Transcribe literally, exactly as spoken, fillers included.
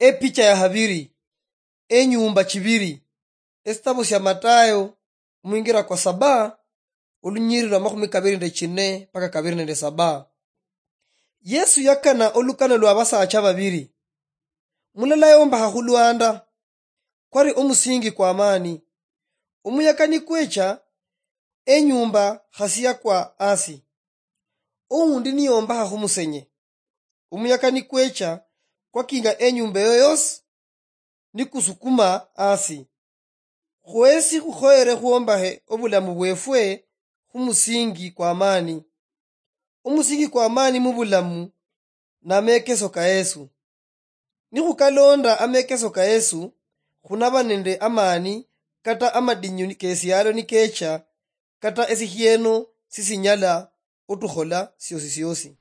Epicha ya habiri. Enyumba chibiri. Esitabo sia Matayo, omwingira kwa saba, olunyiriri lwa makhumi kabiri nende chine mpaka kabiri nende saba. Yesu yakana olukano lwa basaacha babiri. Mulala yombakha khulwanda, kwari omusingi kwa maani. Omuyaka nikwecha, enyumba khasi yakwa asi. Oundi niyombakha khumusenye. Omuyaka nikwecha, kwakinga enyumba eyo yosi, nikusukuma asi. Khwesi khukhoyere khwombakhe obulamu bwefwe khumusingi kwa maani. Omusingi kwa maani mubulamu namekeso ka Yesu. Nikhukalonda amekeso ka Yesu, khunaba nende amaani kata amadinyu kesialo nikecha, kata esikhieno sisinyala otukhola siosi siosi.